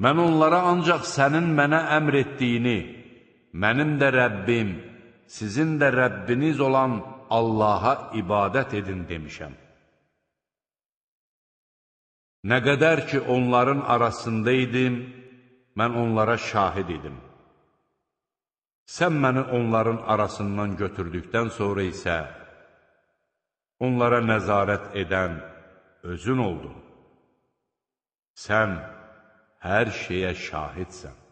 Mən onlara ancaq sənin mənə əmr etdiyini, mənim də Rəbbim, sizin də Rəbbiniz olan Allaha ibadət edin demişəm. Nə qədər ki, onların arasında idim, mən onlara şahid idim. Sən məni onların arasından götürdükdən sonra isə onlara nəzarət edən özün oldun. Sən hər şeyə şahidsən.